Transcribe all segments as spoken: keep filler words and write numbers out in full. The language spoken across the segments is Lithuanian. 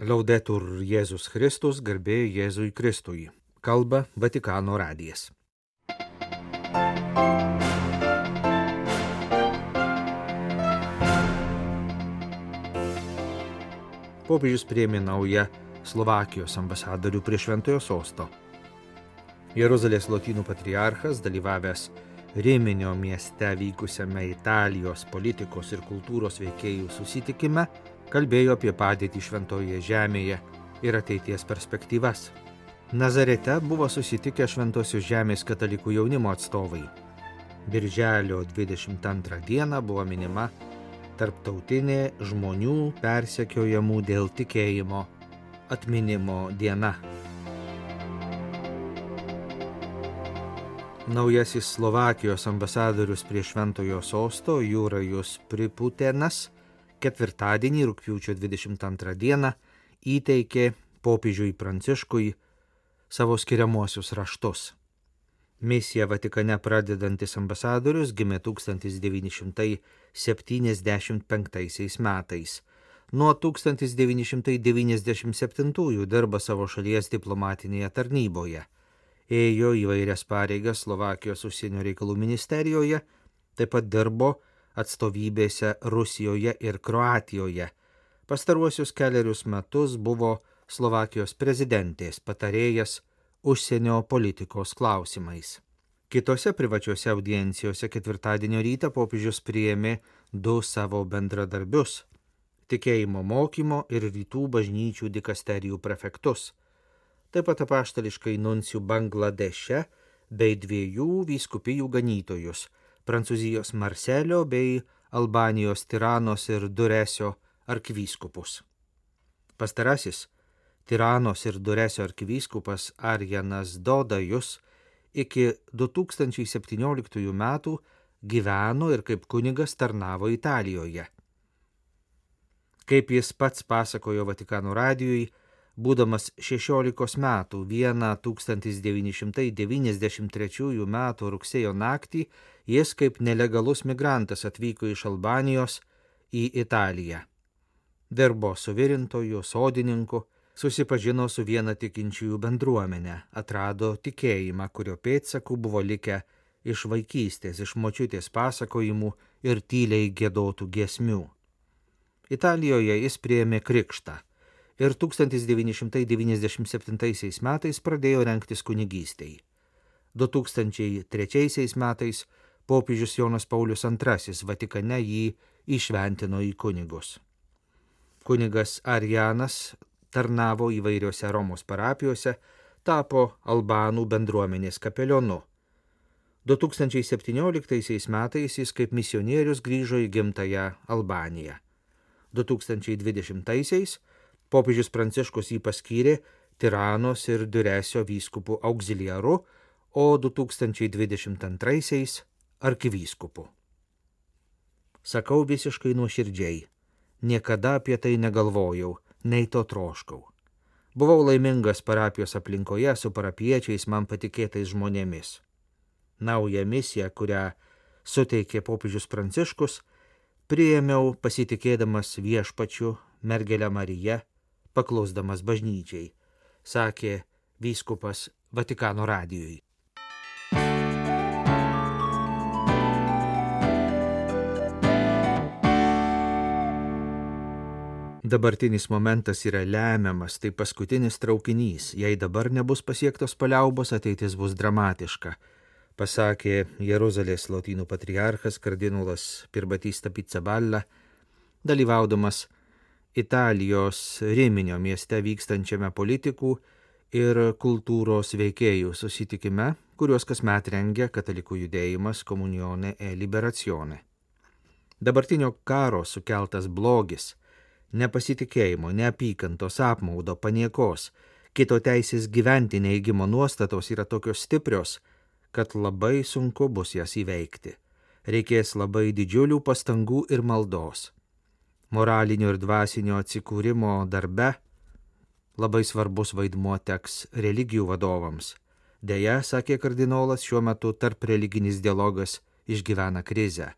Laudetur Jėzus Kristus, garbė Jėzui Kristui. Kalba Vatikano radijas. Popiežius priėmė naują Slovakijos ambasadorių prie Šventojo sosto. Jeruzalės lotynų patriarchas, dalyvavęs Riminio mieste vykusiame Italijos politikos ir kultūros veikėjų susitikime, kalbėjo apie padėtį Šventojoje žemėje ir ateities perspektyvas. Nazarete buvo susitikę Šventosios žemės katalikų jaunimo atstovai. Birželio dvidešimt antrą dieną buvo minima tarptautinė žmonių persekiojamų dėl tikėjimo atminimo diena. Naujasis Slovakijos ambasadorius prie Šventojo sosto Jurajus Priputenas ketvirtadienį rugpjūčio dvidešimt antrą dieną įteikė popiežiui Pranciškui savo skiriamuosius raštus. Misiją Vatikane pradedantis ambasadorius gimė tūkstantis devyni šimtai septyniasdešimt penktaisiais metais. Nuo tūkstantis devyni šimtai devyniasdešimt septintųjų dirba savo šalies diplomatinėje tarnyboje. Ėjo įvairias pareigas Slovakijos užsienio reikalų ministerijoje, taip pat dirbo atstovybėse Rusijoje ir Kroatijoje. Pastaruosius keliarius metus buvo Slovakijos prezidentės patarėjas užsienio politikos klausimais. Kitose privačiose audiencijose ketvirtadienio rytą popiežius priėmė du savo bendradarbius – tikėjimo mokymo ir rytų bažnyčių dikasterijų prefektus, taip pat apaštališkai nuncijų Bangladeše bei dviejų vyskupijų ganytojus – Prancūzijos Marselio bei Albanijos Tiranos ir Duresio arkivyskupus. Pastarasis, Tiranos ir Duresio arkivyskupas Arjanas Dodajus, iki du tūkstančiai septynioliktųjų metų gyveno ir kaip kunigas tarnavo Italijoje. Kaip jis pats pasakojo Vatikano radijui, būdamas šešiolikos metų vieną tūkstantis devyni šimtai devyniasdešimt trečiųjų metų rugsėjo naktį jis kaip nelegalus migrantas atvyko iš Albanijos į Italiją. Dirbo suvirintoju, sodininku, susipažino su viena tikinčiųjų bendruomenė, atrado tikėjimą, kurio pėdsakų buvo likę iš vaikystės, iš močiutės pasakojimų ir tyliai giedotų giesmių. Italijoje jis priėmė krikštą ir tūkstantis devyni šimtai devyniasdešimt septintaisiais metais pradėjo rengtis kunigystei. du tūkstančiai trečiaisiais metais popiežius Jonas Paulius antrasis Vatikane jį įšventino į kunigus. Kunigas Arjanas tarnavo įvairiose Romos parapijose, tapo albanų bendruomenės kapelionu. du tūkstančiai septynioliktaisiais metais jis kaip misionierius grįžo į gimtąją Albaniją. du tūkstančiai dvidešimtaisiais popiežius Pranciškus jį paskyrė Tiranos ir Duresio vyskupų auxiliaru, o du tūkstančiai dvidešimt antraisiais arkivyskupu. Sakau visiškai nuoširdžiai, niekada apie tai negalvojau, nei to troškau. Buvau laimingas parapijos aplinkoje su parapiečiais man patikėtais žmonėmis. Naują misiją, kurią suteikė popiežius Pranciškus, priėmiau pasitikėdamas viešpačiu, mergelę Mariją, paklusdamas bažnyčiai, sakė vyskupas Vatikano radijui. Dabartinis momentas yra lemiamas, tai paskutinis traukinys. Jei dabar nebus pasiektos paliaubos, ateitis bus dramatiška, pasakė Jeruzalės lotynų patriarchas kardinolas Pirbatista Pizzaballa, dalyvaudamas Italijos Riminio mieste vykstančiame politikų ir kultūros veikėjų susitikime, kuriuos kasmet rengia katalikų judėjimas Comunione e Liberazione. Dabartinio karo sukeltas blogis, nepasitikėjimo, neapykantos, apmaudo, paniekos, kito teisės gyventi neigimo nuostatos yra tokios stiprios, kad labai sunku bus jas įveikti. Reikės labai didžiulių pastangų ir maldos. Moralinio ir dvasinio atsikūrimo darbe labai svarbus vaidmuo teks religijų vadovams. Deja, sakė kardinolas, šiuo metu tarp religinis dialogas išgyvena krizę.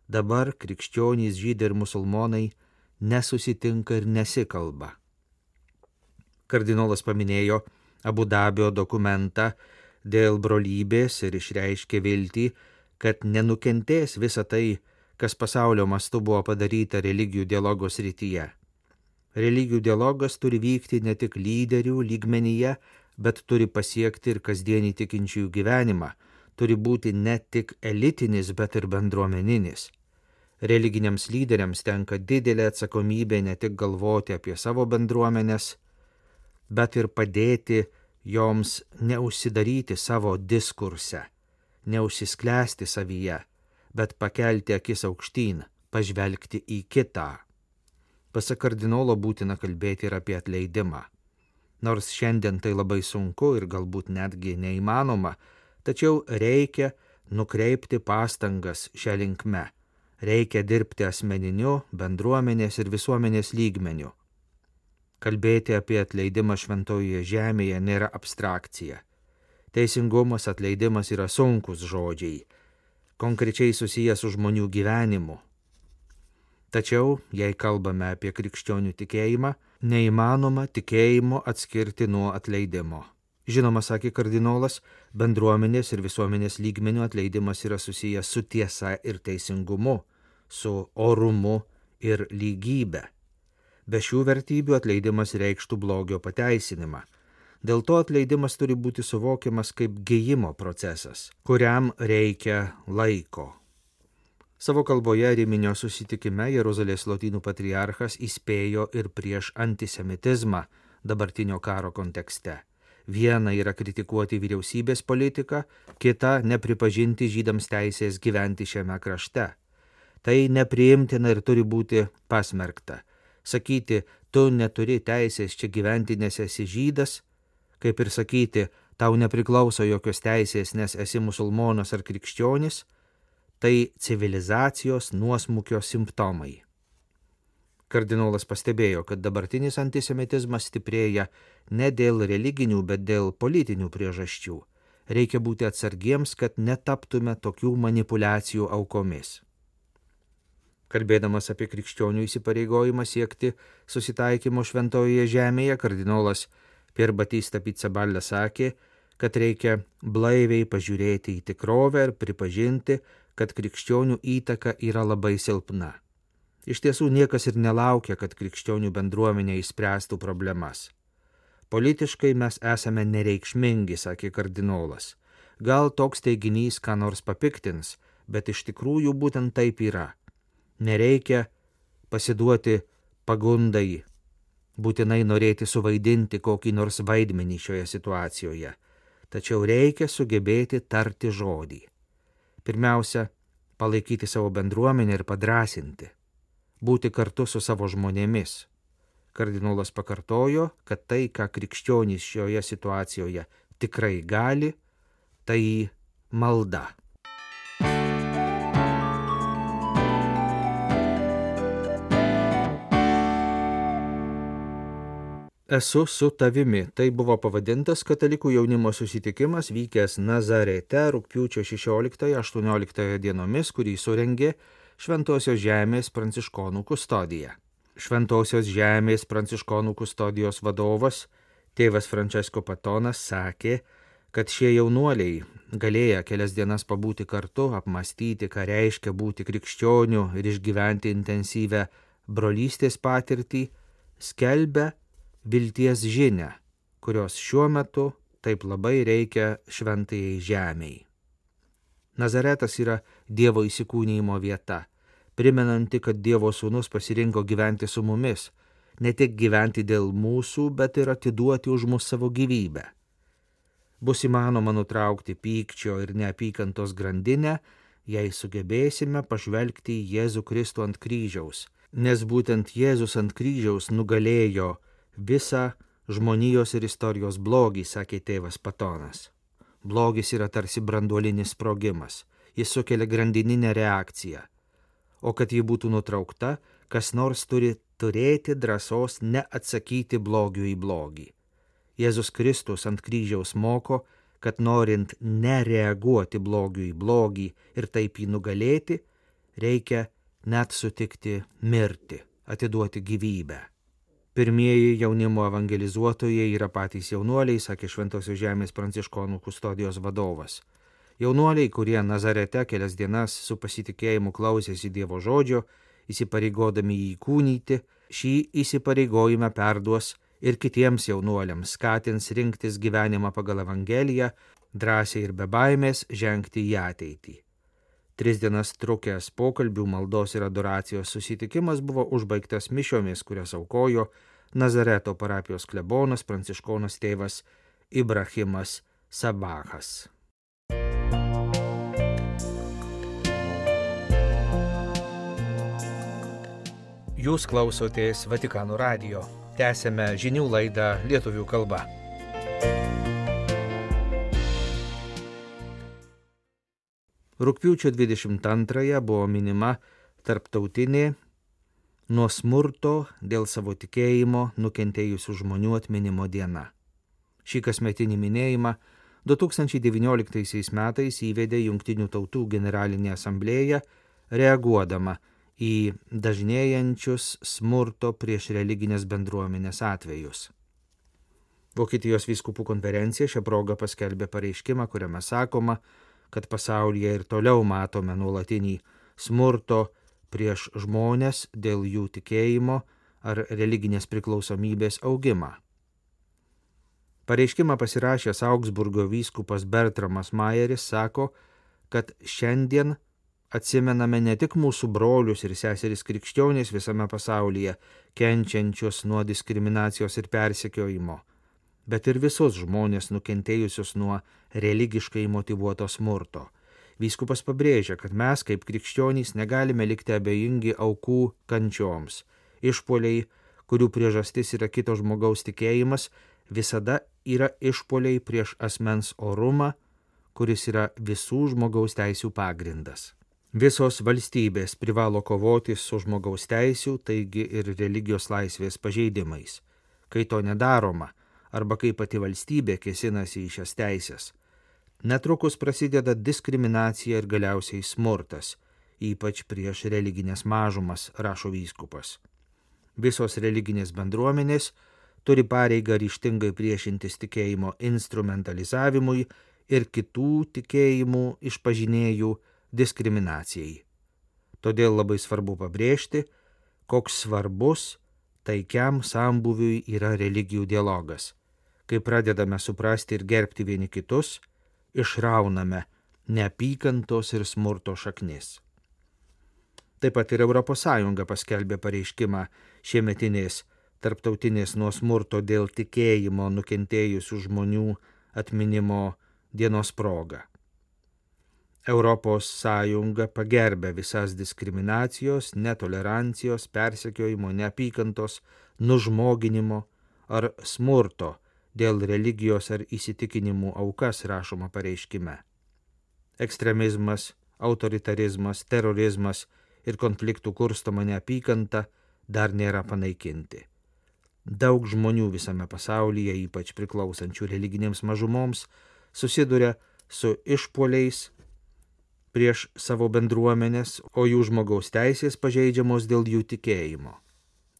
Dabar krikščionys, žydai ir musulmonai nesusitinka ir nesikalba. Kardinolas paminėjo Abu Dabio dokumentą dėl brolybės ir išreiškė viltį, kad nenukentės visa tai, kas pasaulio mastu buvo padaryta religijų dialogo srityje. Religijų dialogas turi vykti ne tik lyderių lygmenyje, bet turi pasiekti ir kasdienį tikinčiųjų gyvenimą, turi būti ne tik elitinis, bet ir bendruomeninis. Religiniams lyderiams tenka didelė atsakomybė ne tik galvoti apie savo bendruomenės, bet ir padėti joms neužsidaryti savo diskurse, neužsisklęsti savyje, bet pakelti akis aukštyn, pažvelgti į kitą. Pasak kardinolo būtina kalbėti ir apie atleidimą. Nors šiandien tai labai sunku ir galbūt netgi neįmanoma, tačiau reikia nukreipti pastangas šią linkme. Reikia dirbti asmeniniu, bendruomenės ir visuomenės lygmeniu. Kalbėti apie atleidimą šventojoje žemėje nėra abstrakcija. Teisingumas, atleidimas yra sunkus žodžiai, konkrečiai susijęs su žmonių gyvenimu. Tačiau, jei kalbame apie krikščionių tikėjimą, neįmanoma tikėjimo atskirti nuo atleidimo. Žinoma, sakė kardinolas, bendruomenės ir visuomenės lygmenių atleidimas yra susijęs su tiesa ir teisingumu, su orumu ir lygybė. Be šių vertybių atleidimas reikštų blogio pateisinimą. Dėl to atleidimas turi būti suvokiamas kaip gijimo procesas, kuriam reikia laiko. Savo kalboje Riminio susitikime Jeruzalės lotynų patriarchas įspėjo ir prieš antisemitizmą dabartinio karo kontekste. Viena yra kritikuoti vyriausybės politiką, kita nepripažinti žydams teisės gyventi šiame krašte. Tai nepriimtina ir turi būti pasmerkta. Sakyti, tu neturi teisės čia gyventi, nes esi žydas, kaip ir sakyti, tau nepriklauso jokios teisės, nes esi musulmonas ar krikščionis, tai civilizacijos nuosmukio simptomai. Kardinolas pastebėjo, kad dabartinis antisemitizmas stiprėja ne dėl religinių, bet dėl politinių priežasčių. Reikia būti atsargiems, kad netaptume tokių manipulacijų aukomis. Kalbėdamas apie krikščionių įsipareigojimą siekti susitaikymo šventojoje žemėje, kardinolas Pier Batista Pizzaballa sakė, kad reikia blaiviai pažiūrėti į tikrovę ir pripažinti, kad krikščionių įtaka yra labai silpna. Iš tiesų niekas ir nelaukia, kad krikščionių bendruomenė išspręstų problemas. Politiškai mes esame nereikšmingi, sakė kardinolas. Gal toks teiginys ką nors papiktins, bet iš tikrųjų būtent taip yra. Nereikia pasiduoti pagundai, būtinai norėti suvaidinti kokį nors vaidmenį šioje situacijoje, tačiau reikia sugebėti tarti žodį. Pirmiausia, palaikyti savo bendruomenę ir padrasinti, būti kartu su savo žmonėmis. Kardinolas pakartojo, kad tai, ką krikščionys šioje situacijoje tikrai gali, tai malda. Esu su tavimi. Tai buvo pavadintas katalikų jaunimo susitikimas vykęs Nazarete rugpjūčio šešioliktąją aštuonioliktąją dienomis, kurį surengė Šventosios žemės pranciškonų kustodija. Šventosios žemės pranciškonų kustodijos vadovas, tėvas Francesco Patonas, sakė, kad šie jaunuoliai, galėję kelias dienas pabūti kartu, apmastyti, ką reiškia būti krikščioniu ir išgyventi intensyvę brolystės patirtį, skelbia vilties žinią, kurios šiuo metu taip labai reikia šventajai žemei. Nazaretas yra Dievo įsikūnijimo vieta, primenanti, kad Dievo sūnus pasirinko gyventi su mumis, ne tik gyventi dėl mūsų, bet ir atiduoti už mus savo gyvybę. Bus įmanoma nutraukti pykčio ir neapykantos grandinę, jei sugebėsime pažvelgti į Jėzų Kristų ant kryžiaus, nes būtent Jėzus ant kryžiaus nugalėjo visą žmonijos ir istorijos blogį, sakė tėvas Patonas. Blogis yra tarsi branduolinis sprogimas, jis sukelia grandininę reakciją, o kad ji būtų nutraukta, kas nors turi turėti drąsos neatsakyti blogiu į blogį. Jėzus Kristus ant kryžiaus moko, kad norint nereaguoti blogiu į blogį ir taip jį nugalėti, reikia net sutikti mirti, atiduoti gyvybę. Pirmieji jaunimo evangelizuotojai yra patys jaunuoliai, sakė Šventosios Žemės pranciškonų kustodijos vadovas. Jaunuoliai, kurie Nazarete kelias dienas su pasitikėjimu klausėsi Dievo žodžio, įsipareigodami jį įkūnyti, šį įsipareigojimą perduos ir kitiems jaunuoliams, skatins rinktis gyvenimą pagal Evangeliją, drąsiai ir be baimės žengti į ateitį. Tris dienas trukęs pokalbių, maldos ir adoracijos susitikimas buvo užbaigtas mišiomis, kurias aukojo Nazareto parapijos klebonas pranciškonas tėvas Ibrahimas Sabachas. Jūs klausotės Vatikano radijo. Tęsėme žinių laidą lietuvių kalba. Rugpjūčio dvidešimt antrąją buvo minima tarptautinė nuo smurto dėl savo tikėjimo nukentėjusių žmonių atminimo diena. Šį kasmetinį minėjimą du tūkstančiai devynioliktaisiais metais įvedė Jungtinių tautų generalinė asamblėja, reaguodama į dažnėjančius smurto prieš religinės bendruomenės atvejus. Vokietijos vyskupų konferencija šią progą paskelbė pareiškimą, kuriame sakoma, kad pasaulyje ir toliau matome nuolatinį smurto prieš žmones dėl jų tikėjimo ar religinės priklausomybės augimą. Pareiškimą pasirašęs Augsburgo vyskupas Bertramas Majeris sako, kad šiandien atsimename ne tik mūsų brolius ir seseris krikščionys visame pasaulyje, kenčiančius nuo diskriminacijos ir persekiojimo, bet ir visus žmonės nukentėjusius nuo religiškai motyvuoto smurto. Vyskupas pabrėžia, kad mes kaip krikščionys negalime likti abejingi aukų kančioms. Išpuoliai, kurių priežastis yra kito žmogaus tikėjimas, visada yra išpuoliai prieš asmens orumą, kuris yra visų žmogaus teisių pagrindas. Visos valstybės privalo kovoti su žmogaus teisių, taigi ir religijos laisvės pažeidimais. Kai to nedaroma, arba kai pati valstybė kėsinasi į šias teisės, netrukus prasideda diskriminacija ir galiausiai smurtas, ypač prieš religinės mažumas, rašo vyskupas. Visos religinės bendruomenės turi pareigą ryžtingai priešintis tikėjimo instrumentalizavimui ir kitų tikėjimų išpažinėjų diskriminacijai. Todėl labai svarbu pabrėžti, koks svarbus taikiam sambūviui yra religijų dialogas. Kai pradedame suprasti ir gerbti vieni kitus, išrauname neapykantos ir smurto šaknis. Taip pat ir Europos Sąjunga paskelbė pareiškimą šiemetinės tarptautinės nuo smurto dėl tikėjimo nukentėjusių žmonių atminimo dienos proga. Europos Sąjunga pagerbė visas diskriminacijos, netolerancijos, persekiojimo, neapykantos, nužmoginimo ar smurto dėl religijos ar įsitikinimų aukas, rašoma pareiškime. Ekstremizmas, autoritarizmas, terorizmas ir konfliktų kurstoma neapykanta dar nėra panaikinti. Daug žmonių visame pasaulyje, ypač priklausančių religinėms mažumoms, susiduria su išpuoliais prieš savo bendruomenės, o jų žmogaus teisės pažeidžiamos dėl jų tikėjimo.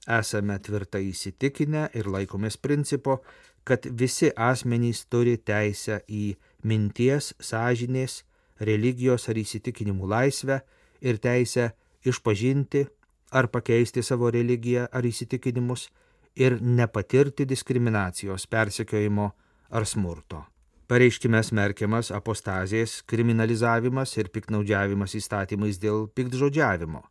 Esame tvirtai įsitikinę ir laikomės principo, kad visi asmenys turi teisę į minties, sąžinės, religijos ar įsitikinimų laisvę ir teisę išpažinti ar pakeisti savo religiją ar įsitikinimus ir nepatirti diskriminacijos, persekiojimo ar smurto. Pareiškime smerkiamas apostazės, kriminalizavimas ir piktnaudžiavimas įstatymais dėl piktžodžiavimo.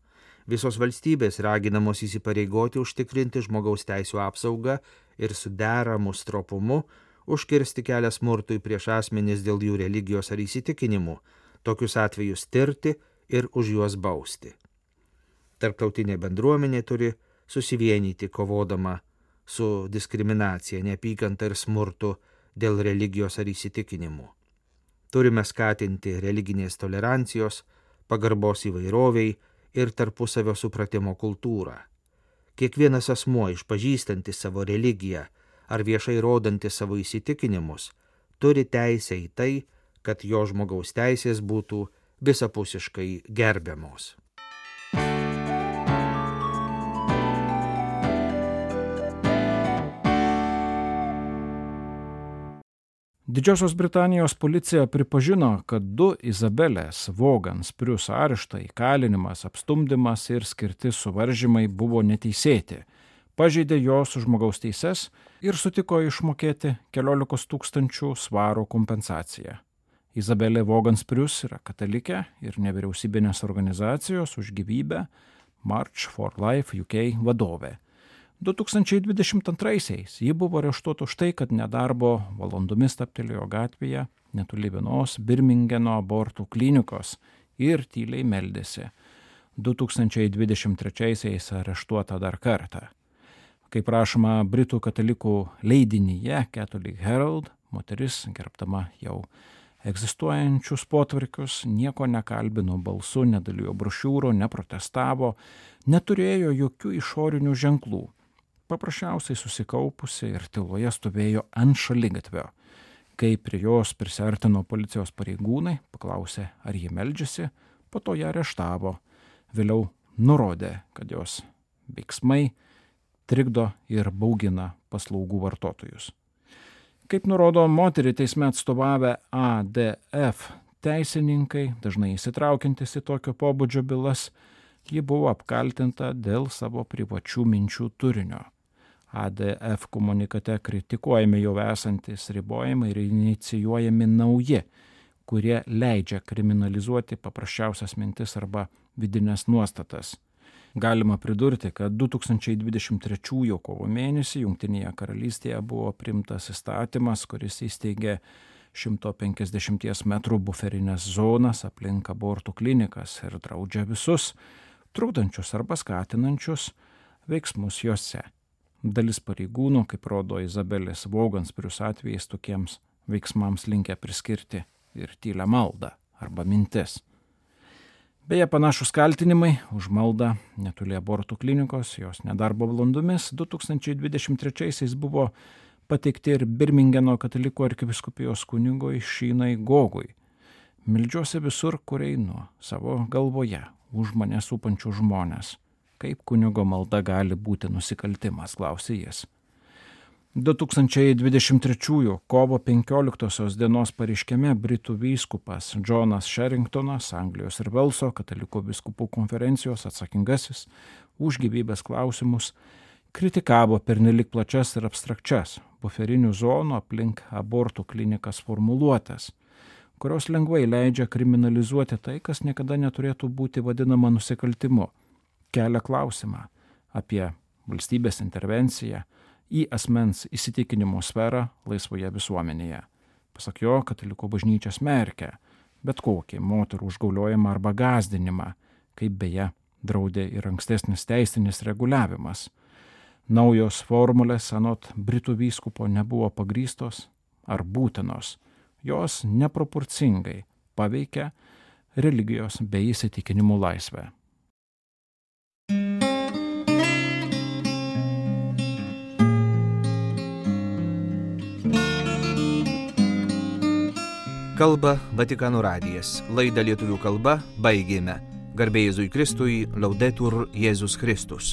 Visos valstybės raginamos įsipareigoti užtikrinti žmogaus teisų apsaugą ir su deramu stropumu užkirsti kelią smurtui prieš asmenis dėl jų religijos ar įsitikinimų, tokius atvejus tirti ir už juos bausti. Tarptautinė bendruomenė turi susivienyti kovodama su diskriminacija, neapykanta ir smurtu dėl religijos ar įsitikinimų. Turime skatinti religinės tolerancijos, pagarbos įvairoviai ir tarpusavio supratimo kultūrą. Kiekvienas asmuo išpažįstantis savo religiją ar viešai rodantis savo įsitikinimus turi teisę į tai, kad jo žmogaus teisės būtų visapusiškai gerbiamos. Didžiosios Britanijos policija pripažino, kad du Izabelės Vogans Prius areštai, įkalinimas, apstumdymas ir skirti suvaržymai buvo neteisėti, pažeidė jos žmogaus teises ir sutiko išmokėti keliolikos tūkstančių svarų kompensaciją. Izabelė Vogans Prius yra katalikė ir nevyriausybinės organizacijos už gyvybę March for Life U K vadovė. du tūkstančiai dvidešimt antraisiais ji buvo areštuota už tai, kad nedarbo valandomis taptelėjo gatvėje netoli vienos Birmingeno abortų klinikos ir tyliai meldėsi. du tūkstančiai dvidešimt trečiaisiais areštuota dar kartą. Kaip rašoma Britų katalikų leidinyje Catholic Herald, moteris, gerbdama jau egzistuojančius potvarkius, nieko nekalbino balsu, nedalijo brošiūro, neprotestavo, neturėjo jokių išorinių ženklų. Paprasčiausiai susikaupusi ir tyloje stovėjo ant šaligatvio. Kai prie jos prisiartino policijos pareigūnai, paklausė, ar ji meldžiasi, po to ją areštavo. Vėliau nurodė, kad jos veiksmai trikdo ir baugina paslaugų vartotojus. Kaip nurodo moterį teisme atstovavę A D F teisininkai, dažnai įsitraukiantis į tokio pobūdžio bylas, ji buvo apkaltinta dėl savo privačių minčių turinio. A D F komunikate kritikuojami jau esantis ribojimai ir inicijuojami nauji, kurie leidžia kriminalizuoti paprasčiausias mintis arba vidinės nuostatas. Galima pridurti, kad du tūkstančiai dvidešimt trečiųjų kovo mėnesį Jungtinėje karalystėje buvo priimtas įstatymas, kuris įsteigė šimto penkiasdešimties metrų buferinės zonas aplink abortų klinikas ir draudžia visus trukdančius arba skatinančius veiksmus juose. Dalis pareigūnų, kaip rodo Izabelės Vogans Prius atvejais, tokiems veiksmams linkę priskirti ir tylę maldą arba mintis. Beje, panašus kaltinimai už maldą netoli abortų klinikos, jos nedarbo valandomis du tūkstančiai dvidešimt trečiaisiais buvo pateikti ir Birmingeno katalikų arkivyskupijos kunigui Šynai Gogui. Meldžiuosi visur, kur einu, savo galvoje, už mane supančių žmonės. Kaip kunigo malda gali būti nusikaltimas, klausė jis. du tūkstančiai dvidešimt trečiųjų kovo penkioliktosios dienos pareiškime Britų vyskupas Džonas Sherringtonas, Anglijos ir Velso katalikų vyskupų konferencijos atsakingasis už gyvybės klausimus, kritikavo pernelik plačias ir abstrakčias buferinių zonų aplink abortų klinikas formuluotes, kurios lengvai leidžia kriminalizuoti tai, kas niekada neturėtų būti vadinama nusikaltimu. Kelia klausimą apie valstybės intervenciją į asmens įsitikinimo sferą laisvoje visuomenėje. Pasak jo, katalikų bažnyčia smerkia bet kokį moterų užgauliojimą arba gąsdinimą, kaip beje draudė ir ankstesnis teisinis reguliavimas. Naujos formulės anot Britų vyskupo nebuvo pagrįstos ar būtinos. Jos neproporcingai paveikia religijos bei įsitikinimų laisvę. Kalba Vatikano radijas. Laidą lietuvių kalba baigėme. Garbė Jėzui Kristui, Laudetur Jėzus Kristus.